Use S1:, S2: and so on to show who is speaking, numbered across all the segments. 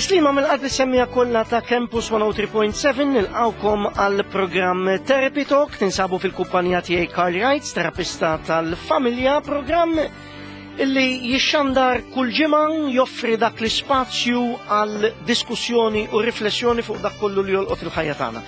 S1: Tislima mill-qalb is-semmija kollha ta' Campus 103.7 nilqawkom għal programm Therapy Talk tinsabu fil-kumpanija tiegħi Carl Wrights, terapista tal-familja, programm illi jixxandar kull ġimgħa joffri dak l-ispazju għal diskussjoni u riflessjoni fuq dak kollu li jolqot il-ħajja tagħna.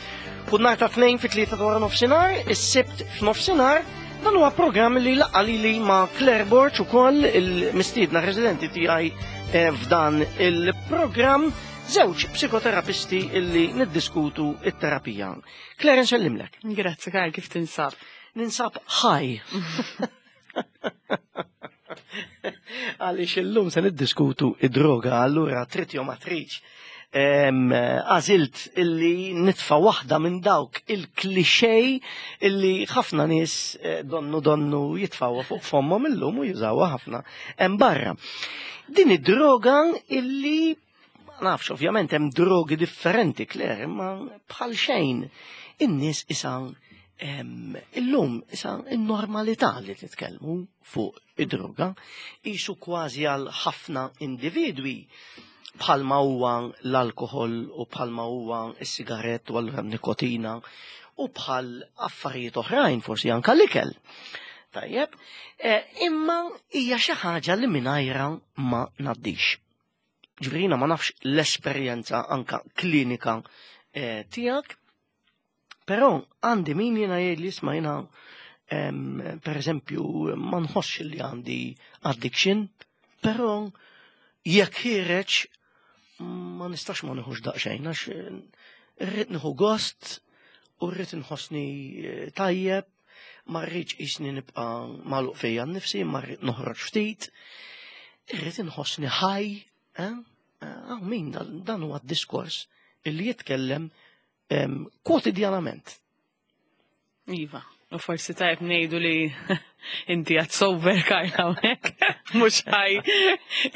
S1: Kull nhar ta' tnejn fit-tlieta ta' wara nofsinhar, is-Sibt f'nofsinhar, dan huwa programm li laqqa lili ma' Claire Borg ukoll il-mistiedna residenti tiegħi eh, f'dan il-programm żewġ psikoterapisti illi niddiskutu it-terapija. Claire nsellimlek.
S2: Grazzi Karl, kif tinsab?
S1: Ninsab ħaj. Għaliex illum se niddiskutu id-droga, allura trid jew ma tridx. Għażilt illi nitfa' waħda minn dawk il-klixej illi ħafna nies eh, donnu donnu jitfawha fuq fommhom illum u jużawha ħafna hemm barra. Din id-droga illi ma nafx ovvjament hemm drogi differenti Claire, imma bħal xejn in-nies isa illum isa n-normalità li titkellmu fuq id-droga qisu kważi għal ħafna individwi bħalma huwa l-alkoħol u bħalma huwa s-sigarett u allura nikotina u bħal affarijiet oħrajn forsi anka l-ikel. Tajjeb, eh, imma hija xi ħaġa li mingħajra ma ngħaddix. Ġifieri ma nafx l-esperjenza anka klinika eh, tiegħek, però għandi min jiena jgħid li isma' jiena per eżempju ma nħossx li għandi addiction, però jekk ħireġ ma nistax ma nieħux daqsxejn għax irrid nieħu gost u rrid inħossni eh, tajjeb ma rridx qisni nibqa' magħluq fija nnifsi, ma rrid noħroġ ftit, irrid inħossni ħaj, eh? eh min dan huwa d-diskors illi jitkellem kwotidjanament.
S2: Iva, u forsi tajb ngħidu li inti għad sober Karla hawnhekk, mhux ħaj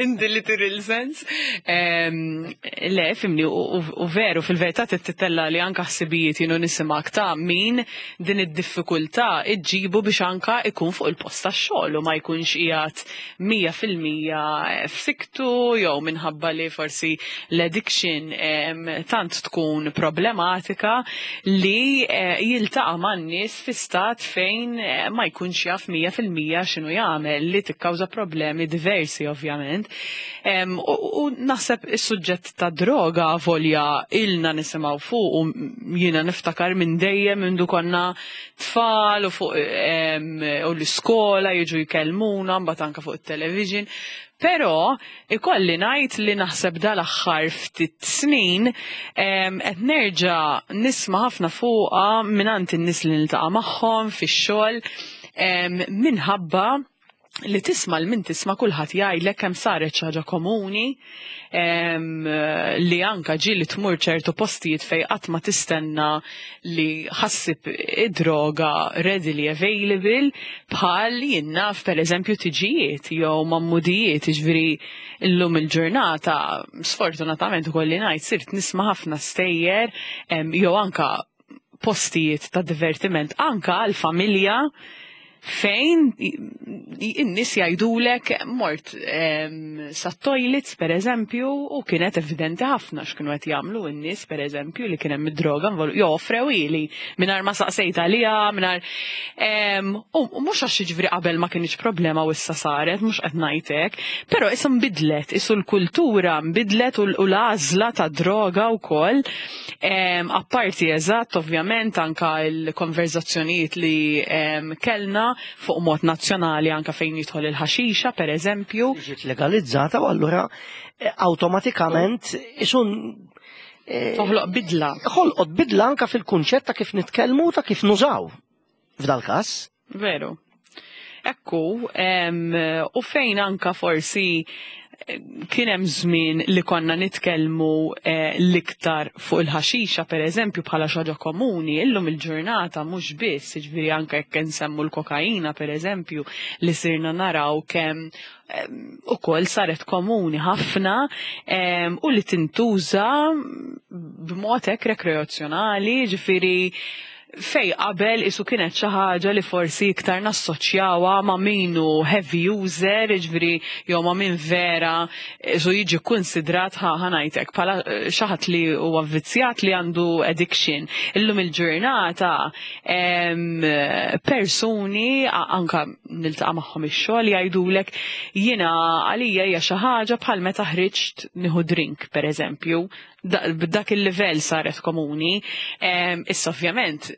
S2: in the literal sense. Le, fimni, u veru, fil-verità tittella li anka ħsibijiet jienu nisimak ta' min din id-diffikultà iġġibu biex anka ikun fuq il-post tax-xogħol u ma jkunx qiegħed 100% f'siktu jew minħabba li forsi l-addiction tant tkun problematika li eh, jiltaqa' man-nies fi stat fejn eh, ma jkunx jaf 100% x'inhu jagħmel li tikkawża problemi diversi ovvjament. U naħseb is-suġġett ta' droga volja ilna nisimgħu fuq u jiena niftakar minn dejjem minn konna tfal u fuq u l-iskola jiġu jkellmuna mbagħad anke fuq it-television. Però ikolli ngħid li naħseb dal-aħħar ftit snin qed nerġa' nisma' ħafna fuqha mingħand in-nies li niltaqa' magħhom fix-xogħol minħabba li tisma' l min tisma' kulħadd jgħidlek kemm saret xi ħaġa komuni li anka ġieli tmur ċertu postijiet fejn qatt ma tistenna li ħassib id-droga readily available bħal jien naf pereżempju tiġijiet jew mammudijiet jiġifieri llum il-ġurnata sfortunatament ikolli ngħid sirt nisma' ħafna stejjer jew anka postijiet ta' divertiment anka għal familja fejn in-nies jgħidulek mort sa toilets per eżempju u kienet evidenti ħafna x'kienu qed jagħmlu n-nies per eżempju li kien hemm id-droga jew offrew ili mingħajr ma saqsejt għaliha mingħajr u mhux għax jiġifieri qabel ma kienx problema u issa saret mhux qed ngħid hekk, però issa nbidlet, isu l-kultura nbidlet u l-għażla ta' droga wkoll Apparti eżatt, ovvjament, anka l-konverzazzjonijiet li kellna fuq mod nazzjonali anka fejn jidħol il-ħaxixa, per eżempju.
S1: Ġiet legalizzata u allura eh, awtomatikament isun
S2: eh, toħloq bidla.
S1: Ħolqot bidla anka fil-kunċett ta' kif nitkellmu ta' kif nużaw. F'dal każ.
S2: Veru. Ekku, u fejn anka forsi eh, kien hemm żmien li konna nitkellmu eh, l-iktar fuq il-ħaxixa pereżempju bħala xi ħaġa komuni, illum il-ġurnata mhux biss, jiġifieri anke jekk insemmu l-kokaina pereżempju li sirna naraw kemm ukoll saret komuni ħafna u li tintuża b'mod hekk rekreazzjonali, ġifieri. Fej qabel isu kienet xi ħaġa li forsi iktar nassoċjawha ma' min hu heavy user, jiġifieri jew ma' min vera isu jiġi kkunsidrat ħa ngħidlek bħala xi ħadd li huwa vvizzjat li għandu addiction. Illum il-ġurnata persuni anka niltaqa' magħhom ix-xogħol jgħidulek jiena għalija hija xi ħaġa bħal meta ħriġt nieħu drink pereżempju. B'dak il-livell saret komuni. Issa ovvjament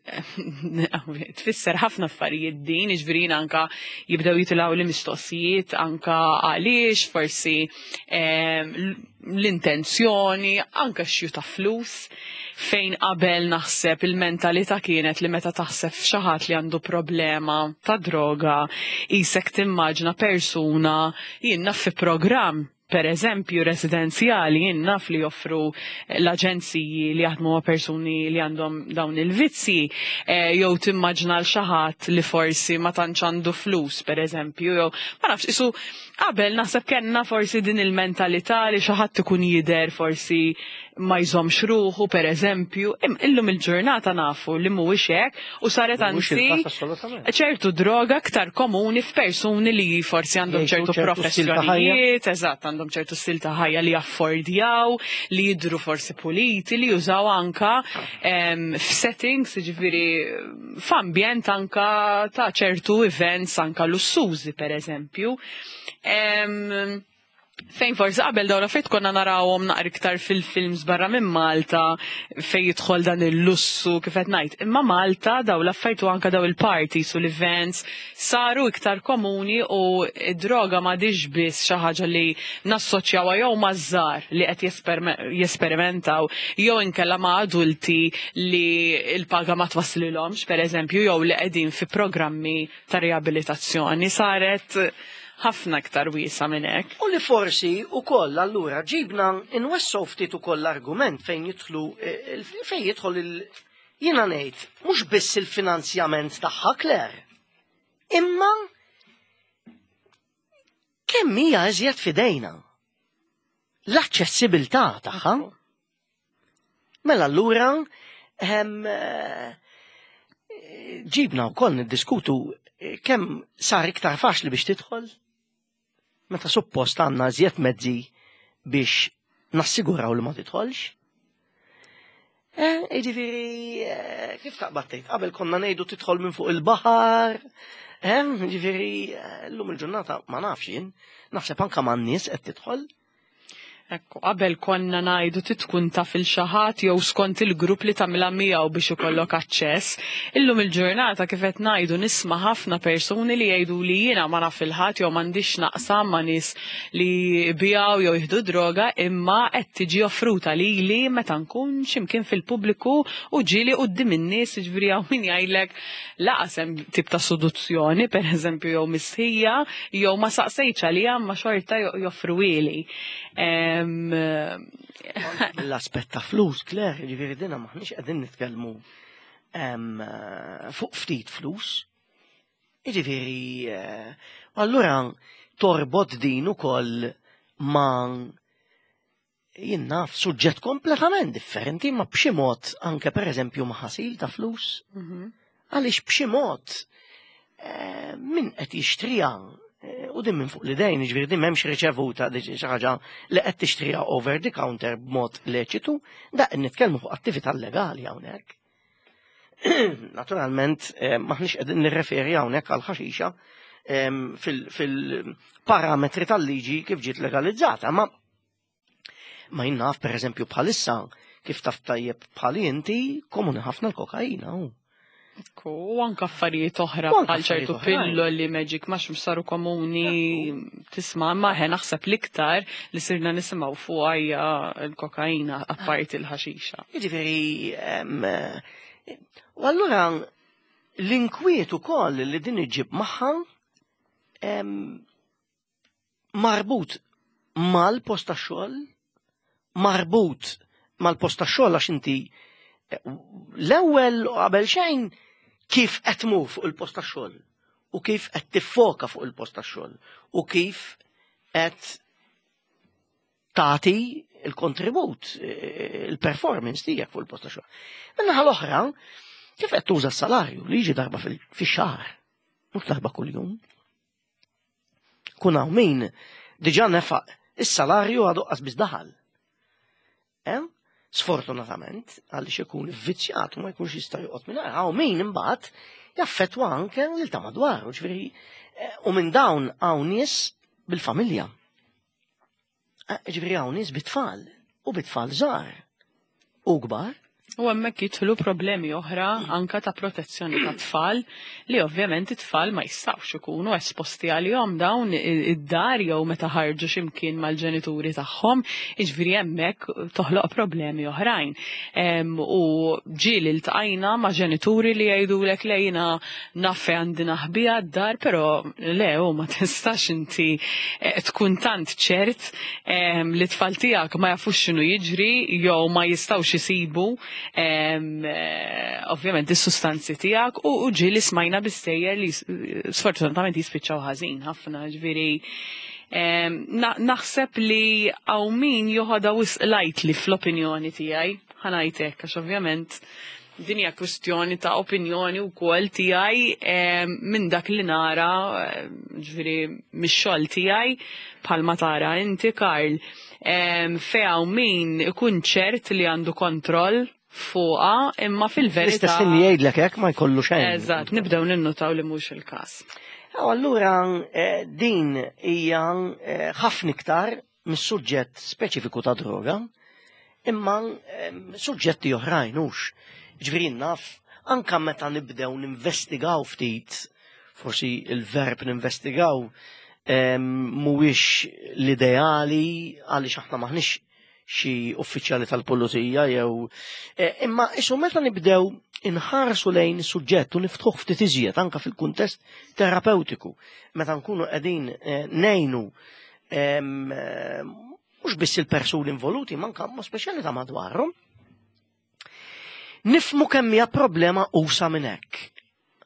S2: tfisser ħafna affarijiet din, jiġifieri anka jibdew jitilgħu li mistoqsijiet anka għaliex, forsi l-intenzjoni, anka xju ta' flus, fejn qabel naħseb il-mentalità kienet li meta taħseb f'xi ħadd li għandu problema ta' droga, isek timmaġna persuna jien naf fi programm per eżempju residenzjali jien naf li joffru l-aġenziji li jaħdmu ma' persuni li għandhom dawn il-vizzi, jew timmaġna l xi ħadd li forsi ma tantx għandu flus, per eżempju, jew ma nafx, isu qabel naħseb kellna forsi din il-mentalità li xi ħadd ikun jidher forsi ma jżommx ruħu, per eżempju, illum il-ġurnata nafu li mhuwiex hekk u saret
S1: Mhuwiex
S2: anzi
S1: il-każ assolutament.
S2: ċertu droga aktar komuni f'persuni li forsi għandhom
S1: Jgħixu
S2: ċertu
S1: ċertu stil ta' ħajja.
S2: professjonijiet, eżatt, għandhom ċertu stil ta' ħajja li jaffordjaw, li jidru forsi puliti, li jużaw anka f'settings, jiġifieri f'ambjent anka ta' ċertu events anka lussużi, per eżempju. Fejn forsi qabel dawn l-affarijiet konna narawhom naqra iktar fil-films barra minn Malta fejn jidħol dan il-lussu kif qed ngħid. Imma Malta dawn l-affarijiet u anka daw il-parties u l-events saru iktar komuni u d-droga m'għadix biss xi ħaġa li nassoċjawha jew maż-żgħar li qed jesperimentaw jew inkella ma' adulti li l-paga ma twasslilhomx pereżempju jew li qegħdin fi programmi ta' riabilitazzjoni. Saret ħafna iktar wiesa minn hekk.
S1: U li forsi wkoll allura ġibna nwessgħu ftit ukoll l-argument fejn jidħlu fejn jidħol il jiena ngħid mhux biss il-finanzjament tagħha Claire, imma kemm hija iżjed f'idejna l-aċċessibilità tagħha. Mela allura ġibna wkoll niddiskutu kemm sar iktar faċli biex tidħol meta suppost għandna iżjed mezzi biex nassiguraw li ma tidħolx. Jiġifieri, kif taqbad tgħid, qabel konna ngħidu tidħol minn fuq il-baħar, jiġifieri, llum il-ġurnata ma nafx jien, naħseb anke man-nies qed tidħol.
S2: Ekku, qabel konna ngħidu titkun taf il xi ħadd jew skont il-grupp li tagħmilha miegħu biex ikollok aċċess. Illum il-ġurnata kif qed ngħidu nisma' ħafna persuni li jgħidu li jiena ma naf il-ħadd jew m'għandix naqsam ma' nies li jbiegħu jew jieħdu droga, imma qed tiġi offruta lili meta nkun x'imkien fil-pubbliku u ġieli quddiem in-nies, jiġifieri hawn min jgħidlek laqas hemm tip ta' seduzzjoni, per eżempju, jew mistħija, jew ma saqsejtx għaliha ma xorta joffruhieli.
S1: L-aspett ta' flus, Claire, jiġifieri dina maħniex qegħdin nitkellmu fuq ftit flus. Jiġifieri, allura torbot din ukoll ma' jien naf suġġett kompletament differenti, ma b'xi mod anke pereżempju ma' ħasil ta' flus. Għaliex b'xi mod min qed jixtriha u din minn fuq l-idejn, jiġifieri din m'hemmx riċevuta di xi ħaġa li qed tixtriha over the counter b'mod leċitu, da qed nitkellmu fuq attività legali hawnhekk. Naturalment, maħniex qegħdin nirreferi hawnhekk għal ħaxixa fil-parametri tal-liġi kif ġiet legalizzata, ma jien naf pereżempju bħalissa kif taf tajjeb bħali inti komuni ħafna l-kokaina.
S2: Ekku, u anka affarijiet oħra
S1: U anka
S2: bħal ċertu
S1: affarijiet oħrajn.
S2: pilloli magic mushroom saru komuni tisma', ma ħe naħseb l-iktar li sirna nisimgħu fuq hija l-kokaina apparti l-ħaxixa.
S1: Jiġifieri, u allura l-inkwiet ukoll li din iġib magħha marbut mal-post tax-xogħol, marbut mal-post tax-xogħol għax inti l-ewwel u qabel xejn kif qed tmur fuq il-post tax-xogħol u kif qed tiffoka fuq il-post tax-xogħol u kif qed tagħti il-kontribut, il-performance tiegħek fuq il-post tax-xogħol. Min-naħa l-oħra, Kif qed tuża s-salarju li jiġi darba fix-xahar, mhux darba kuljum. Kun hawn min diġà nefaq is-salarju għadu qas biss daħal. Eh? Sfortunatament, għaliex ikun vvizzjat u ma jkunx jista' joqgħod mingħajr. Hawn min imbagħad jaffettwa anke lil ta' madwaru, ġifieri eh, u minn dawn hawn nies bil-familja. Eh, ġifieri hawn nies bit-tfal u bit-tfal żgħar u kbar.
S2: U hemmhekk jidħlu problemi oħra anka ta' protezzjoni ta' tfal li ovvjament it-tfal ma jistgħux ikunu esposti għalihom dawn id-dar jew meta ħarġu x'imkien mal-ġenituri tagħhom, jiġifieri hemmhekk toħloq problemi oħrajn. U ġieli ltqajna ma' ġenituri li jgħidulek le jiena naf fejn għandi naħbiha d-dar, però le u ma tistax inti eh, tkun tant ċert li t-tfal tiegħek ma jafux x'inhu jiġri jew ma jistgħux isibu eh, ovvjament is-sustanzi tiegħek u ġieli smajna bi stejjer li sfortunatament jispiċċaw ħażin ħafna ġifieri naħseb li hawn min joħodha wisq lightly fl-opinjoni tiegħi ħa ngħid hekk għax ovvjament din hija kwistjoni ta' opinjoni wkoll tiegħi minn dak li nara ġifieri mix-xogħol tiegħi bħalma tara inti Karl fejn hawn min ikun ċert li għandu kontroll fuqha imma fil-verità.
S1: L-istess li jgħidlek hekk ma jkollu xejn.
S2: Eżatt, nibdew ninnutaw li mhux il-każ.
S1: Allura eh, din hija eh, ħafna iktar mis-suġġett speċifiku ta' droga, imma suġġetti oħrajn hux. Ġifieri naf anka meta nibdew ninvestigaw ftit, forsi il-verb ninvestigaw mhuwiex l-ideali għaliex aħna maħniex xi uffiċjali tal-pulizija jew eh, imma isu meta nibdew inħarsu lejn suġġett u niftħuh ftit iżjed anka fil-kuntest terapeutiku meta nkunu qegħdin eh, ngħinu eh, mhux biss il-persuni involuti, ma anka ma speċjali ta' madwarhom. Nifmu kemm hija problema usa minn hekk.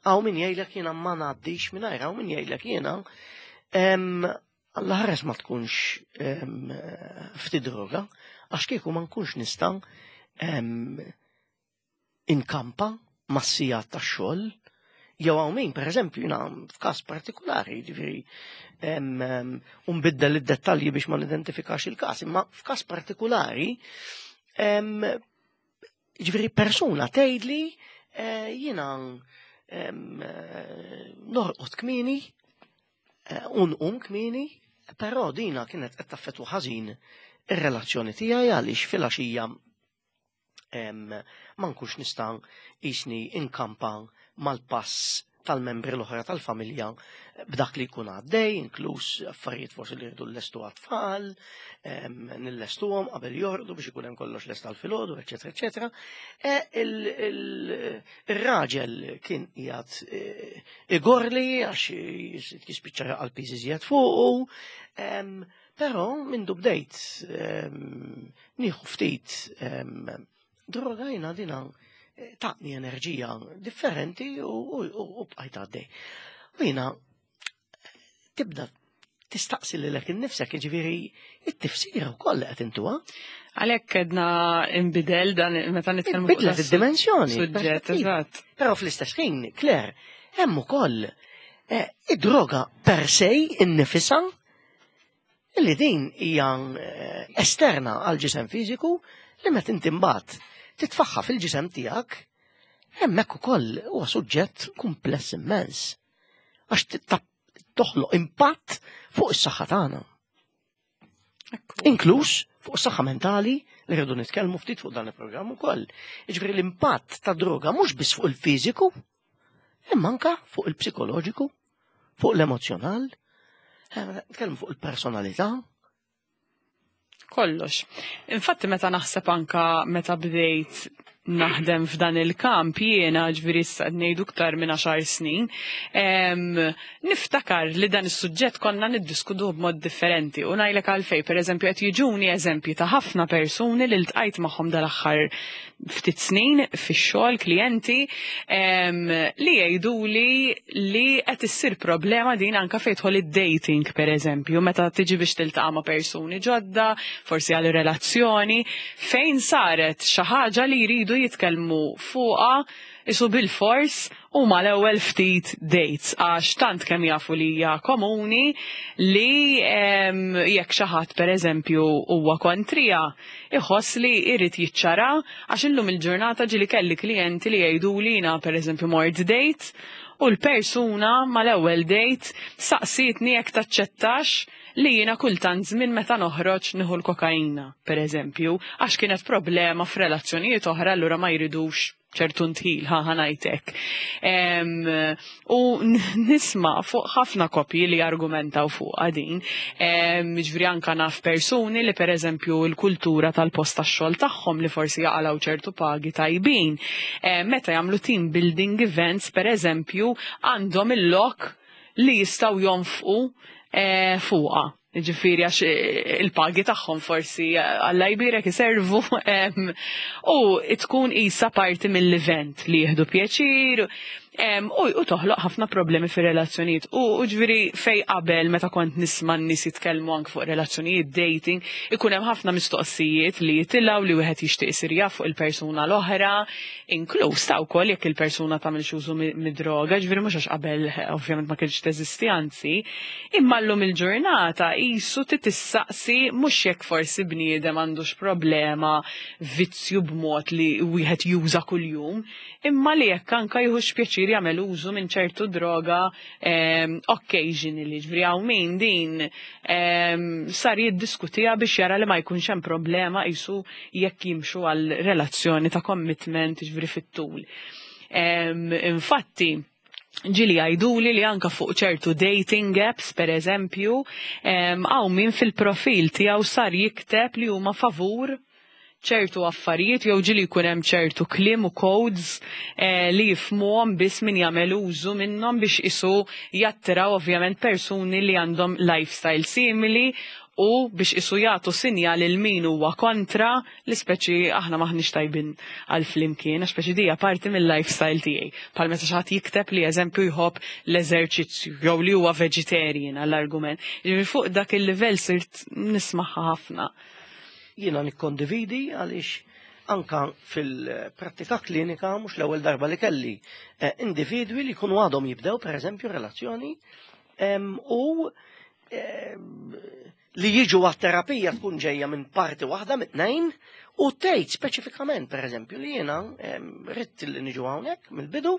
S1: Hawn min jgħidlek jiena ma ngħaddix mingħajr, hawn min jgħidlek jiena Alla ħares ma tkunx ftit droga, għax kieku ma nkunx nista' inkampa mas-sigħat tax-xogħol, jew hawn min, pereżempju, jiena f'każ partikolari, jiġifieri u nbiddel id-dettalji biex ma nidentifikax il-każ, imma f'każ partikolari, jiġifieri persuna tgħidli eh, jiena norqod kmieni, eh, u nqum kmieni, però dina kienet qed taffettwa ħażin ir-relazzjoni tiegħi għaliex filgħaxija ma nkunx nista' qisni inkampa mal-pass tal-membri l-oħra tal-familja b'dak li jkun għaddej, inkluż affarijiet forsi li rridu llestu għat-tfal, nillestuhom qabel jorqdu biex ikun hemm kollox lest għal filgħodu, eċetera, eċetera. E, il-raġel kien qiegħed e, igorli għax jispiċċa għal piż iżjed fuqu, Però mindu bdejt ehm, nieħu ftit ehm, droga jiena dina eh, taqni enerġija differenti u bqajt għaddej. U jiena tibda tistaqsi lilek innifsek, jiġifieri it-tifsira wkoll li qed intuha.
S2: Għalhekk edna imbidel dan meta nitkellmu
S1: fuq Bidlet id-dimensjoni.
S2: Suġġett, eżatt.
S1: Però fl-istess ħin, Claire, hemm ukoll eh, id-droga per se innifisha Illi din hija eh, esterna għal ġisem fiżiku li meta inti mbagħad titfaħħa fil-ġisem tiegħek hemmhekk ukoll huwa suġġett kumpless immens. Għax toħloq impatt fuq is-saħħa tagħna. Inkluż fuq is-saħħa mentali li rridu nitkellmu ftit fuq dan il-programm ukoll. Jiġifieri l-impatt ta' droga mhux biss fuq il-fiżiku, imma anka fuq il-psikoloġiku, fuq l-emozjonal, eh, nitkellmu fuq il-personalità.
S2: Kollox. Infatti meta naħseb anka meta bdejt naħdem f'dan il-kamp jiena ġviri issa ngħidu iktar minn 10 snin, niftakar li dan is-suġġett konna niddiskutuh b'mod differenti u ngħidlek għalfejn, pereżempju qed jiġuni eżempji ta' ħafna persuni li ltqajt magħhom dal-aħħar ftit snin fix-xogħol klijenti li jgħiduli li qed issir problema din anka fejn tidħol id-dating pereżempju, meta tiġi biex tiltaqa' ma' persuni ġodda, forsi għal relazzjoni, fejn saret xi ħaġa li jridu jitkellmu fuqha isu bil-fors u mal-ewwel ftit dates għax tant kemm jafu li hija komuni li jekk xi ħadd pereżempju huwa kontrija iħoss li jrid jiċċara għax illum il-ġurnata ġieli kelli klijenti li jgħiduli jiena pereżempju mort date u l-persuna mal-ewwel date saqsietni jekk taċċettax li jiena kultant żmien meta noħroġ nieħu l-kokaina, pereżempju, għax kienet problema f'relazzjonijiet oħra allura ma jridux ċertu ntħil, ħa ngħidlek. U nisma' fuq ħafna koppji li argumentaw fuq din. Ġifieri anka naf persuni li pereżempju l-kultura tal-post tax-xogħol tagħhom li forsi jaqalgħu ċertu pagi tajbin. Meta jagħmlu team building events pereżempju għandhom il-lok li jistgħu jonfqu fuqha. Ġifieri għax il-pagi tagħhom forsi Alla jbierek iservu u tkun isa parti mill-event li jieħdu pjaċir u toħloq ħafna problemi fir-relazzjonijiet. U ġifieri fej qabel meta kont nisma' n-nies jitkellmu anke fuq relazzjonijiet dating, ikun hemm ħafna mistoqsijiet li jitilgħu li wieħed jixtieq isir jaf fuq il-persuna l-oħra, inkluż ta' wkoll jekk il-persuna tagħmel użu mid-droga, ġifieri mhux għax qabel ovvjament ma kienx teżisti anzi, imma llum il-ġurnata qisu titissaqsi mhux jekk forsi bniedem għandux problema vizzju b'mod li wieħed juża kuljum, imma li jekk anka jieħux pjaċir jagħmel użu minn ċertu droga occasionally, ġifieri hawn min din sar jiddiskutiha biex jara li ma jkunx hemm problema qisu jekk jimxu għal relazzjoni ta' commitment ġifieri fit-tul. Infatti, ġieli jgħiduli li anka fuq ċertu dating apps, per eżempju, hawn min fil-profil tiegħu sar jikteb li huma favur ċertu affarijiet jew ġieli jkun hemm ċertu kliem u codes li jifhmuhom biss min jagħmel użu minnhom biex isu jattiraw ovvjament persuni li għandhom lifestyle simili u biex isu jagħtu sinjal lil min huwa kontra li speċi aħna maħniex tajbin għal flimkien, għax speċi dija parti mill-lifestyle tiegħi. Bħal meta xi ħadd jikteb li eżempju jħobb l-eżerċizzju jew li huwa vegetarian għall-argument. Ġifieri fuq dak il-livell sirt nismaħħa ħafna.
S1: Jiena nikkondividi għaliex anka fil-prattika klinika mhux l-ewwel darba li kelli individwi li jkunu għadhom jibdew pereżempju relazzjoni u li jiġu għat-terapija tkun ġejja minn parti waħda mit tnejn u tgħid speċifikament pereżempju li jiena ridt li niġu hawnhekk mill-bidu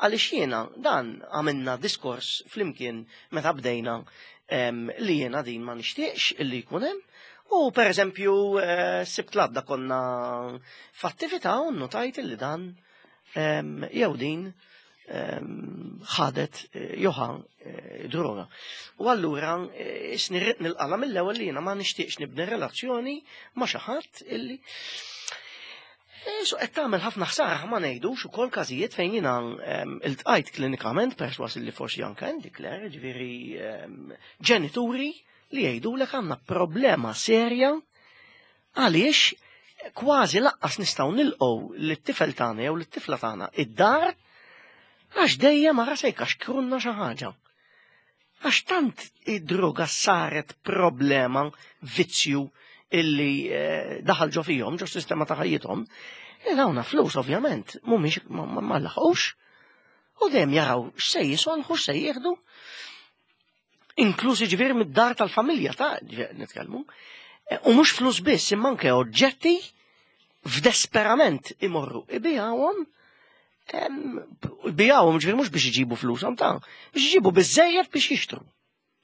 S1: għaliex jiena dan għamilna diskors flimkien meta bdejna li jiena din ma nixtieqx illi jkun hemm. U per eżempju, sibt l-għadda konna f'attività u notajt li dan jew din ħadet joħa droga. U allura isni rrid nilqala mill-ewwel li jiena ma nixtieqx nibni relazzjoni ma' xi ħadd illi So qed tagħmel ħafna ħsara ma ngħidux ukoll każijiet fejn jiena iltqajt klinikament perswas li forsi anke għandi Claire, ġifieri ġenituri li jgħidulek għandna problema serja għaliex kważi laqqas nistgħu nilqgħu lit-tifel tagħna jew lit-tifla tagħna id-dar għax dejjem ara se jkaxkrunna xi ħaġa. Għax tant id-droga saret problema, vizzju illi daħal ġo fihom, ġo sistema ta' ħajjithom, dawna flus ovvjament, mhumiex ma laħqux, u dejjem jaraw x'se jisolħu, x'se jieħdu, inkluż jiġifieri mid-dar tal-familja ta' nitkellmu, u mhux flus biss, imma anke oġġetti f'desperament imorru ibijawhom, ibijawhom ġifieri mhux biex iġibu flushom ta' biex iġibu biżejjed biex jixtru,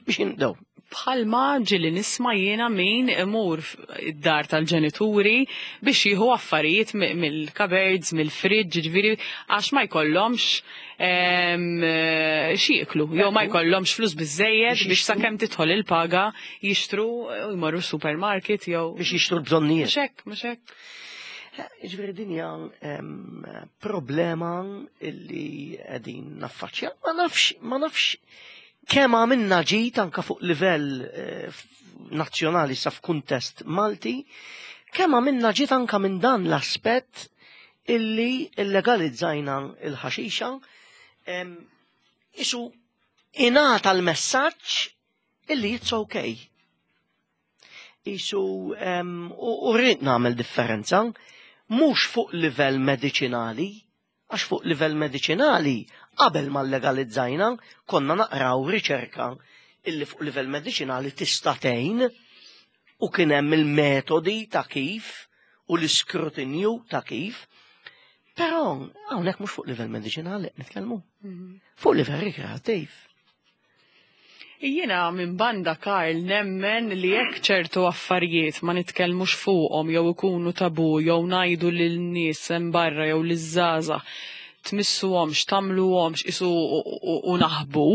S1: biex jinqdew.
S2: Bħalma ġieli nisma' jiena min imur id-dar tal-ġenituri biex jieħu affarijiet mill-cupboards, mill-fridge, ġifieri għax ma jkollhomx xi jieklu, jew ma jkollhomx flus biżejjed biex sakemm tidħol il-paga jixtru u jmorru supermarket jew
S1: biex jixtru l-bżonnijiet.
S2: Mhux hekk, mhux hekk.
S1: Ġifieri din hija problema illi qegħdin naffaċċja. Ma nafx kemm għamilna ġid anka fuq livell nazzjonali sa f'kuntest Malti, kemm għamilna ġid anka minn dan l-aspett. illi illegalizzajna il-ħaxixa, isu ingħata l-messaġġ illi it's okay. Isu u rrid nagħmel differenza, mhux fuq livell mediċinali, għax fuq livell mediċinali qabel ma legalizzajna konna naqraw riċerka illi fuq livell mediċinali tista' tgħin u kien hemm il-metodi ta' kif u l-iskrutinju ta' kif. Però hawnhekk mhux fuq livell mediċinali qed nitkellmu. Fuq livell rikreattiv.
S2: Jiena minn banda, Karl, nemmen li jekk ċertu affarijiet ma nitkellmux fuqhom jew ikunu tabu jew ngħidu lil nies hemm barra jew liż-żgħażagħ tmissuhomx, tagħmluhomx isu u naħbu,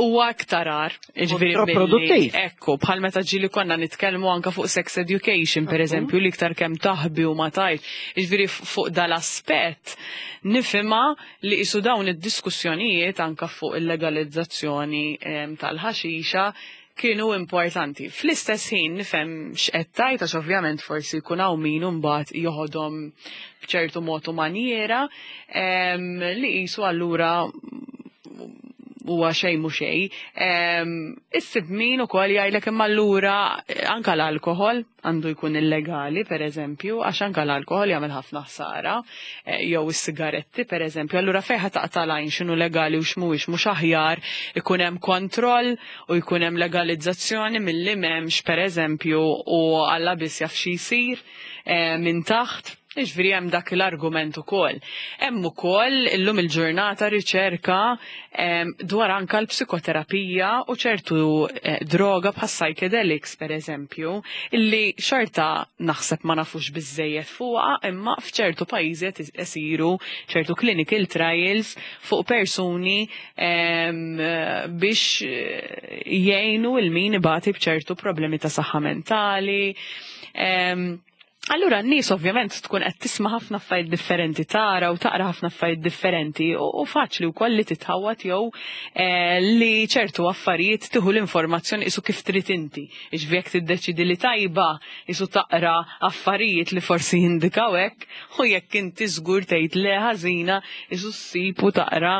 S2: huwa aktar agħar. Jiġifieri
S1: Kontraproduttiv.
S2: Ekku, bħal meta ġieli konna nitkellmu anka fuq sex education, per eżempju, li iktar kemm taħbi u ma tajt. Jiġifieri fuq dal-aspett nifhimha li isu dawn id-diskussjonijiet anka fuq il-legalizzazzjoni tal-ħaxixa kienu importanti. Fl-istess ħin nifhem x'qed tgħid, għax ovvjament forsi jkun hawn min imbagħad joħodhom b'ċertu mod u maniera li qisu allura huwa xejn mhu xejn. Issib min ukoll jgħidlek imma allura anka l-alkoħol għandu jkun illegali, per eżempju, għax anka l-alkoħol jagħmel ħafna ħsara, jew is-sigaretti, per eżempju. Allura fejn ħa taqta' lajn x'inhu legali u x'mhuwiex, mhux aħjar ikun hemm kontroll u jkun hemm legalizzazzjoni milli m'hemmx, per eżempju, u Alla biss jaf xi jsir minn taħt. Jiġifieri hemm dak l-argument ukoll. Hemm ukoll illum il-ġurnata riċerka dwar anka l-psikoterapija u ċertu droga bħas psychedelics, per eżempju, illi xorta naħseb ma nafux biżejjed fuqha, imma f'ċertu pajjiżi qed isiru ċertu clinical trials fuq persuni biex jgħinu il min ibati b'ċertu problemi ta' saħħa mentali. Allura n-nies ovvjament tkun qed tisma' ħafna affarijiet differenti, tara u taqra ħafna affarijiet differenti u faċli wkoll li titħawat jew li ċertu affarijiet tieħu l-informazzjoni isu kif trid inti. Jiġifieri jekk tiddeċidi li tajba isu taqra affarijiet li forsi jindikaw hekk, u jekk inti żgur tgħid le ħażina isu ssib u taqra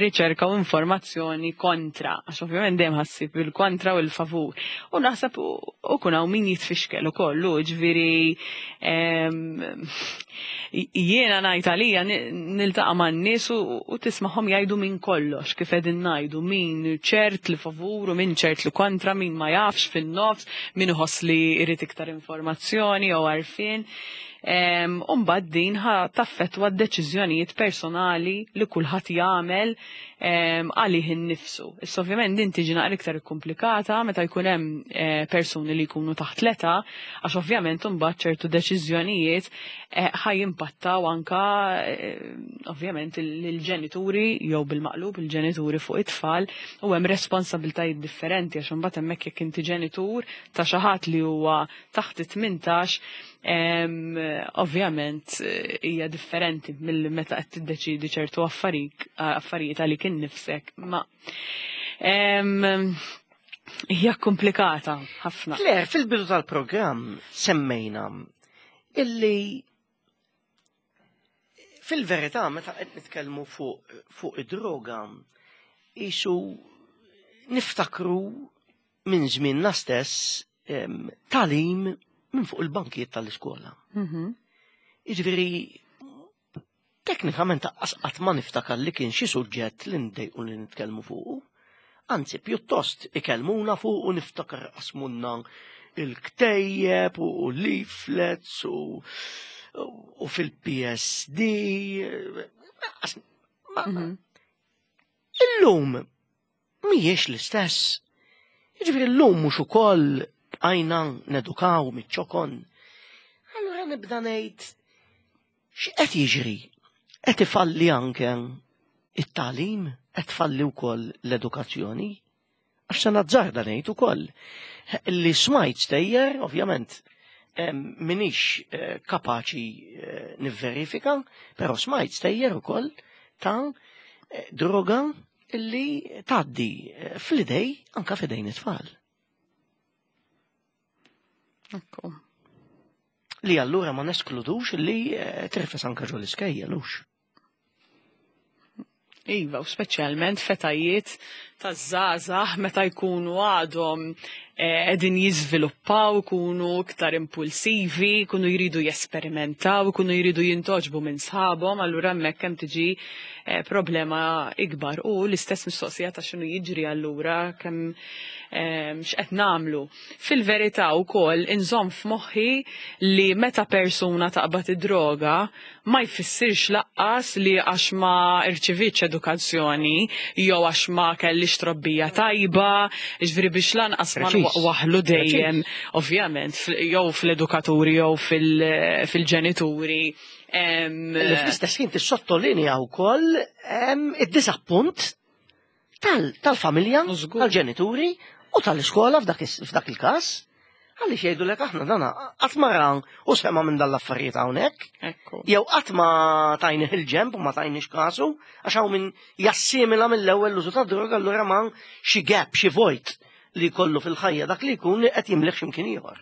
S2: riċerka u informazzjoni kontra. Għax ovvjament dejjem ħassib il-kontra u l-favur. U naħseb u kun hawn min jitfixkel ukoll, ġifieri jiena ngħid għalija niltaqa' man-nies u tismagħhom jgħidu minn kollox, kif qegħdin ngħidu, min ċert li favur u min ċert li kontra, min ma jafx fin-nofs, min iħoss li jrid iktar informazzjoni jew għarfien. U mbagħad din ħa taffettwa d-deċiżjonijiet personali li kulħadd jagħmel għalih innifsu. Issa ovvjament din tiġi naqra iktar komplikata meta jkun hemm persuni li jkunu taħt l-età, għax ovvjament imbagħad ċertu deċiżjonijiet ħa jimpattaw anka ovvjament il-ġenituri jew bil-maqlub il-ġenituri fuq it-tfal, u hemm responsabiltajiet differenti għax imbagħad hemmhekk jekk inti ġenitur ta' xi ħadd li huwa taħt it-18, ovvjament hija differenti mill meta qed tiddeċidi ċertu affarijiet għalik innifsek. Ma hija komplikata ħafna.
S1: Claire, fil-bidu tal-programm semmejna illi fil-verità meta qed nitkellmu fuq id-droga isu niftakru minn żmienna stess tagħlim minn fuq il-bankijiet tal-iskola. Jiġifieri teknikament qatt ma niftakar li kien xi suġġett li ndejqu li nitkellmu fuqu. Anzi, pjuttost ikellmuna fuq u niftakar qasmunna il-ktejjeb u leaflets u fil-PSD. Illum mhijiex l-istess. Jiġifieri llum mhux ukoll bqajna nedukaw miċ-ċokon. Allura nibda ngħid x'qed jiġri? Qed ifalli anke it-tagħlim, qed tfalli wkoll l-edukazzjoni. Għax se nazzarda ngħid ukoll li smajt stejjer, ovvjament, minix kapaċi nivverifika, però smajt stejjer ukoll ta' droga illi tgħaddi fl-idej anka f'idejn it-tfal.
S2: Ekku.
S1: Li allura ma neskludux li tirfes anke ġol iskejjel hux.
S2: Iva, u speċjalment f'etajiet ta' żgħażagħ meta jkunu għadhom qegħdin jiżviluppaw, ikunu iktar impulsivi, jkunu jridu jesperimentaw, ikunu jridu jintgħoġbu minn sħabhom, allura hemmhekk hemm tiġi problema ikbar. U l-istess mistoqsija ta' x'inhu jiġri allura kemm x'qed nagħmlu. Fil-verità wkoll inżomm f'moħħi li meta persuna taqbad id-droga ma jfissirx laqqas li għax ma rċivietx edukazzjoni jew għax ma kellix trobbija tajba, jiġifieri biex lanqas ma waħlu dejjem ovvjament jew fl-edukaturi jew fil-ġenituri.
S1: Li fl-istess ħin tissottolinja wkoll id-disappunt tal-familja, tal-ġenituri u tal-iskola f'dak il-każ. Għaliex jgħidulek aħna dana qatt ma ra u sema' minn dan l-affarijiet hawnhekk. Jew qatt ma tajnih il-ġenb u ma tajniex kasu, għax hawn min jassimila mill-ewwel l-użu tad-droga allura ma xi gap, xi vojt li jkollu fil-ħajja dak li jkun li qed jimlih x'imkien ieħor.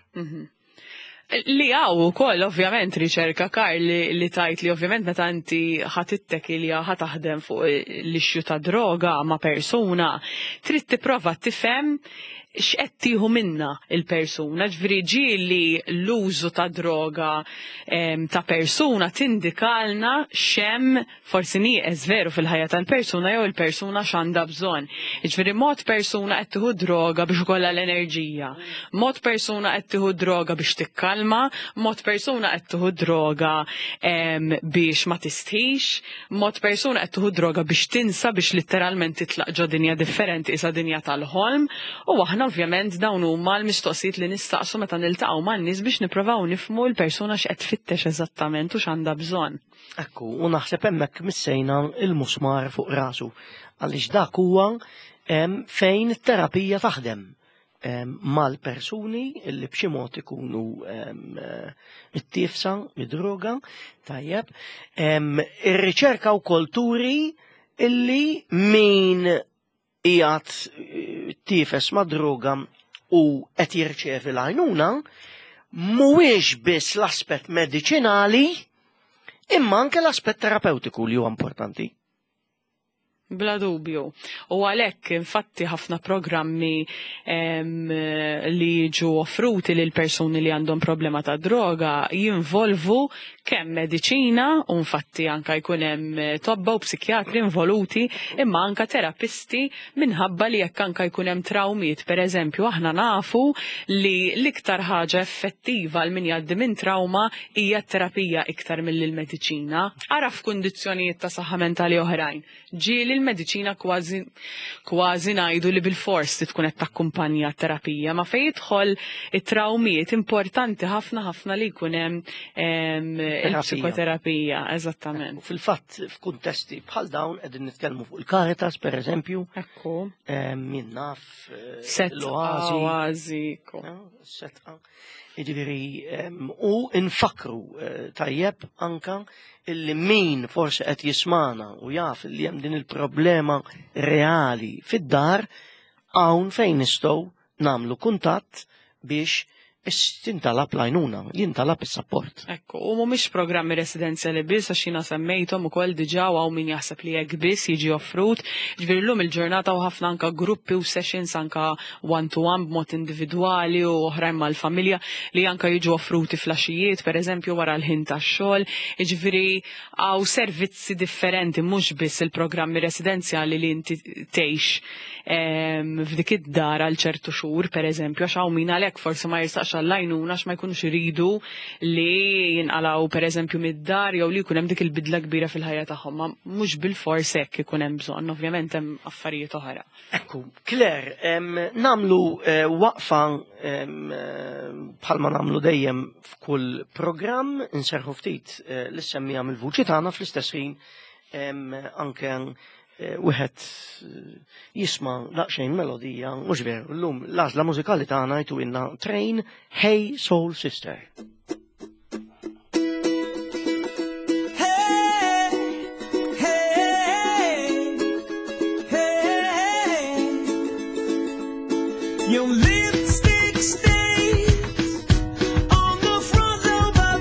S2: Li hawn ukoll ovvjament riċerka Karl li tajt li ovvjament meta inti ħa tittekilja ħa taħdem fuq l-issue ta' droga ma' persuna, trid tipprova tifhem x'qed tieħu minnha l-persuna, ġifieri ġieli l-użu ta' droga ta' persuna tindikalna x'hemm forsi nieqes veru fil-ħajja tal-persuna jew il-persuna x'għandha bżonn. Jiġifieri mod persuna qed tieħu droga biex ikollha l-enerġija, mod persuna qed tieħu droga biex tikkalma, mod persuna qed tieħu droga biex ma tistħix, mod persuna qed tieħu droga biex tinsa biex litteralment titlaq ġo dinja differenti isa dinja tal-ħolm u aħna ovvjament dawn huma l-mistoqsijiet li nistaqsu meta niltaqgħu man-nies biex nippruvaw nifhmu l-persuna x'qed tfittex eżattament u x'għandha bżonn.
S1: Ekku, u naħseb hemmhekk missejna il-musmar fuq rasu għaliex dak huwa fejn it-terapija taħdem mal-persuni li b'xi mod ikunu mittiefsa mid-droga, tajjeb. Ir-riċerka wkoll turi illi min qiegħed eh, tiefes ma' droga u qed jirċevi l-għajnuna, mhuwiex biss l-aspett mediċinali imma anke l-aspett terapeutiku li huwa importanti.
S2: Bla dubju. U għalhekk infatti ħafna programmi li jiġu offruti lil persuni li għandhom problema ta' droga jinvolvu kemm mediċina u infatti anka jkun hemm tobba u psikjatri involuti imma anka terapisti minħabba li jekk anka jkun hemm trawmiet pereżempju aħna nafu li l-iktar ħaġa effettiva għal min jgħaddi minn trawma hija t-terapija iktar milli l-mediċina. Ara f'kundizzjonijiet ta' saħħa mentali oħrajn. Ġieli l-mediċina kważi kważi ngħidu li bilfors trid tkun qed takkumpanja t-terapija, ma fejn jidħol it-trawmiet importanti ħafna ħafna li jkun hemm il-psikoterapija, eżattament.
S1: Fil-fatt f'kuntesti bħal dawn qegħdin nitkellmu fuq il-Caritas pereżempju.
S2: Ekku.
S1: Min naf
S2: l-Oażi. Oażi.
S1: Setqa. Jiġifieri u nfakkru eh, tajjeb anka illi min forsi qed jismana u jaf li hemm din il-problema reali fid-dar hawn fejn nistgħu nagħmlu kuntatt biex tintalab l-għajnuna, jintalab is-sapport.
S2: Ekku, u mhumiex programmi residenzjali biss għax jiena semmejthom ukoll diġà u hawn min jaħseb li hekk biss jiġi offrut. Ġifieri llum il-ġurnata u ħafna anka gruppi u sessions anka one to one b'mod individwali u oħrajn mal-familja li anka jiġu offruti flaxijiet, per eżempju, wara l-ħin tax-xogħol. Jiġifieri hawn servizzi differenti mhux biss il-programmi residenzjali li inti tgħix ehm, f'dik id-dar għal ċertu xhur, per eżempju, għax hawn min għalhekk forsi ma jirsaqx għall-għajnuna għax ma jkunux iridu li jinqalgħu per eżempju mid-dar jew li jkun hemm dik il-bidla kbira fil-ħajja tagħhom. Ma mhux bilfors hekk ikun hemm bżonn, ovvjament hemm affarijiet oħra.
S1: Ekku, Claire, namlu eh, waqfa eh, bħalma namlu dejjem f'kull programm, inserħu ftit eh, l-semmija mill-vuċi tagħna fl-istess ħin anke wieħed jisma' daqsxejn melodija, mhux veru, llum l-għażla mużikali tagħna jtu inna Train Hey Soul Sister. Your lipstick stains on the front of my